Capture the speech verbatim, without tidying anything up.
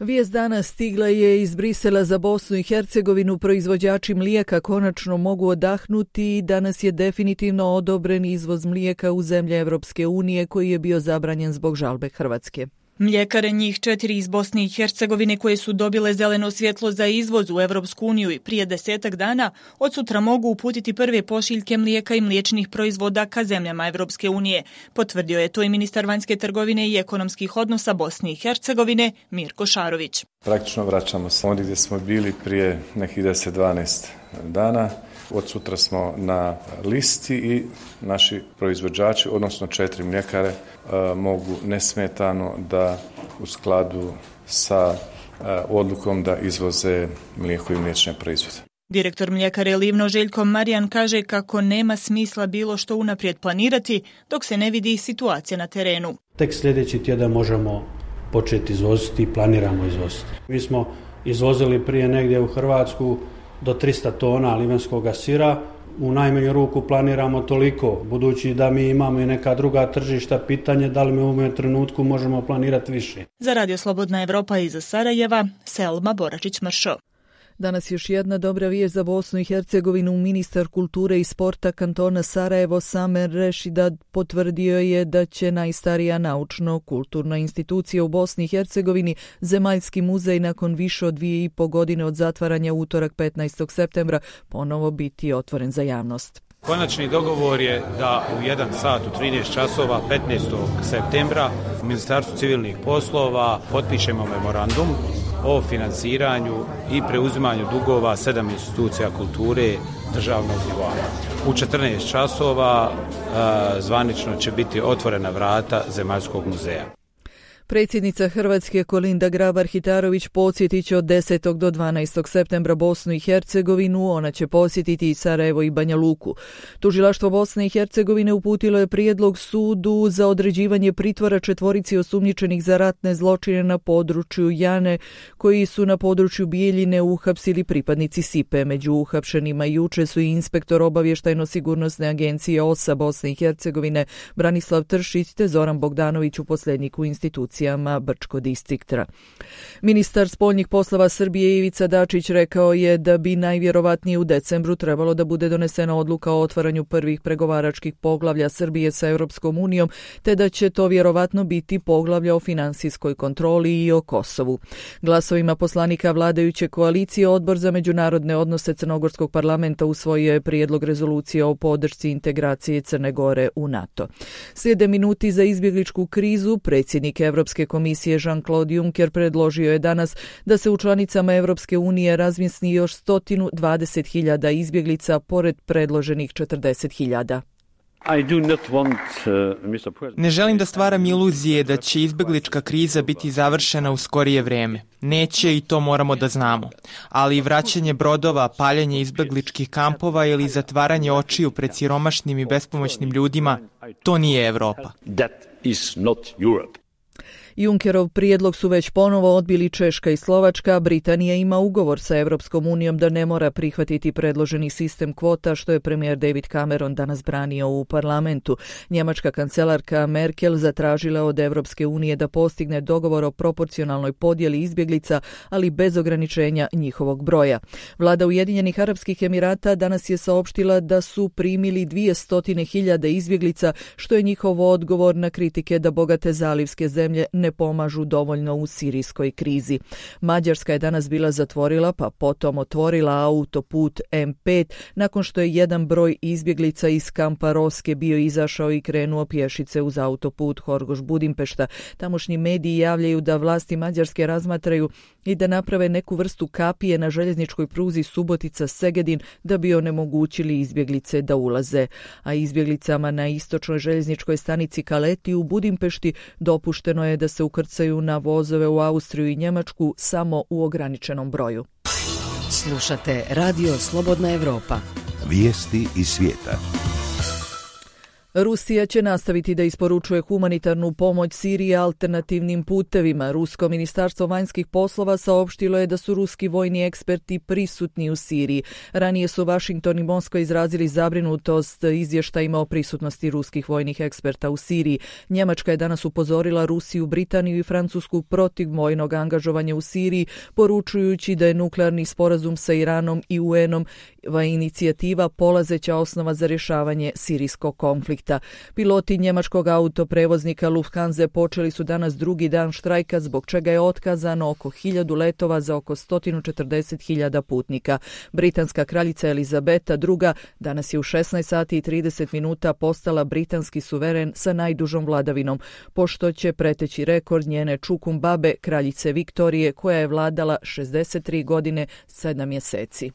Vijest dana stigla je iz Brisela za Bosnu i Hercegovinu. Proizvođači mlijeka konačno mogu odahnuti i danas je definitivno odobren izvoz mlijeka u zemlje Evropske unije koji je bio zabranjen zbog žalbe Hrvatske. Mljekare, njih četiri iz Bosne i Hercegovine koje su dobile zeleno svjetlo za izvoz u Evropsku uniju i prije desetak dana, od sutra mogu uputiti prve pošiljke mlijeka i mliječnih proizvoda ka zemljama Evropske unije. Potvrdio je to i ministar vanjske trgovine i ekonomskih odnosa Bosne i Hercegovine Mirko Šarović. Praktično vraćamo se ondje gdje smo bili prije nekih deset do dvanaest dana. Od sutra smo na listi i naši proizvođači, odnosno četiri mljekare, mogu nesmetano da u skladu sa odlukom da izvoze mlijeko i mliječne proizvode. Direktor mljekare Livno Željko Marijan kaže kako nema smisla bilo što unaprijed planirati dok se ne vidi situacija na terenu. Tek sljedeći tjedan možemo početi izvoziti i planiramo izvoziti. Mi smo izvozili prije negdje u Hrvatsku do tristo tona livanskoga sira. U najmanju ruku planiramo toliko, budući da mi imamo i neka druga tržišta, pitanje da li mi u ovom trenutku možemo planirati više. Za Radio Slobodna Evropa iz Sarajeva, Selma Boračić-Mršo. Danas još jedna dobra vijest za Bosnu i Hercegovinu. Ministar kulture i sporta kantona Sarajevo Samer Rešidad potvrdio je da će najstarija naučno-kulturna institucija u Bosni i Hercegovini, Zemaljski muzej, nakon više od dvije i po godine od zatvaranja utorak petnaestog septembra ponovo biti otvoren za javnost. Konačni dogovor je da u jedan sat u trinaest časova petnaestog septembra u Ministarstvu civilnih poslova potpišemo memorandum o financiranju i preuzimanju dugova sedam institucija kulture državnog nivoa. U četrnaest časova a, zvanično će biti otvorena vrata Zemaljskog muzeja. Predsjednica Hrvatske Kolinda Grabar-Kitarović podsjetit će od desetog do dvanaestog septembra Bosnu i Hercegovinu. Ona će posjetiti i Sarajevo i Banja Luku. Tužilaštvo Bosne i Hercegovine uputilo je prijedlog sudu za određivanje pritvora četvorici osumnjičenih za ratne zločine na području Jane, koji su na području Bijeljine uhapsili pripadnici Sipe. Među uhapšenima juče su i inspektor obavještajno-sigurnosne agencije O S A Bosne i Hercegovine Branislav Tršić te Zoran Bogdanović, uposlenik u instituciji Brčko distrikta. Ministar spoljnih poslova Srbije Ivica Dačić rekao je da bi najvjerovatnije u decembru trebalo da bude donesena odluka o otvaranju prvih pregovaračkih poglavlja Srbije sa Europskom unijom, te da će to vjerovatno biti poglavlja o finansijskoj kontroli i o Kosovu. Glasovima poslanika vladajuće koalicije Odbor za međunarodne odnose Crnogorskog parlamenta usvojio je prijedlog rezolucije o podršci integracije Crne Gore u NATO. Slijede minuti za izbjegličku krizu. Predsjednik Evropske Europske komisije Jean-Claude Juncker predložio je danas da se u članicama Europske unije razmjesti još sto dvadeset hiljada izbjeglica pored predloženih četrdeset hiljada. Ne želim da stvaram iluzije da će izbjeglička kriza biti završena u skorije vrijeme. Neće i to moramo da znamo. Ali vraćanje brodova, paljenje izbjegličkih kampova ili zatvaranje očiju pred siromašnim i bespomoćnim ljudima, to nije Evropa. Junckerov prijedlog su već ponovo odbili Češka i Slovačka. Britanija ima ugovor sa Europskom unijom da ne mora prihvatiti predloženi sistem kvota, što je premijer David Cameron danas branio u parlamentu. Njemačka kancelarka Merkel zatražila od Europske unije da postigne dogovor o proporcionalnoj podjeli izbjeglica, ali bez ograničenja njihovog broja. Vlada Ujedinjenih Arapskih Emirata danas je saopštila da su primili dvjesto hiljada izbjeglica, što je njihov odgovor na kritike da bogate zalivske zemlje ne pomažu dovoljno u sirijskoj krizi. Mađarska je danas bila zatvorila pa potom otvorila autoput M pet nakon što je jedan broj izbjeglica iz kampa Roske bio izašao i krenuo pješice uz autoput Horgoš-Budimpešta. Tamošnji mediji javljaju da vlasti Mađarske razmatraju i da naprave neku vrstu kapije na željezničkoj pruzi Subotica-Segedin da bi onemogućili izbjeglice da ulaze. A izbjeglicama na istočnoj željezničkoj stanici Kaleti u Budimpešti dopušteno je da se ukrcaju na vozove u Austriju i Njemačku samo u ograničenom broju. Slušate Radio Slobodna Evropa. Vijesti iz svijeta. Rusija će nastaviti da isporučuje humanitarnu pomoć Siriji alternativnim putevima. Rusko ministarstvo vanjskih poslova saopštilo je da su ruski vojni eksperti prisutni u Siriji. Ranije su Washington i Moskva izrazili zabrinutost izvještajima o prisutnosti ruskih vojnih eksperta u Siriji. Njemačka je danas upozorila Rusiju, Britaniju i Francusku protiv vojnog angažovanja u Siriji, poručujući da je nuklearni sporazum sa Iranom i U N-om inicijativa polazeća osnova za rješavanje sirijskog konflikta. Piloti njemačkog autoprevoznika Lufthansa počeli su danas drugi dan štrajka, zbog čega je otkazano oko hiljadu letova za oko sto četrdeset hiljada putnika. Britanska kraljica Elizabeta druga danas je u šesnaest sati i trideset minuta postala britanski suveren sa najdužom vladavinom, pošto će preteći rekord njene čukum babe, kraljice Viktorije, koja je vladala šezdeset tri godine, sedam mjeseci.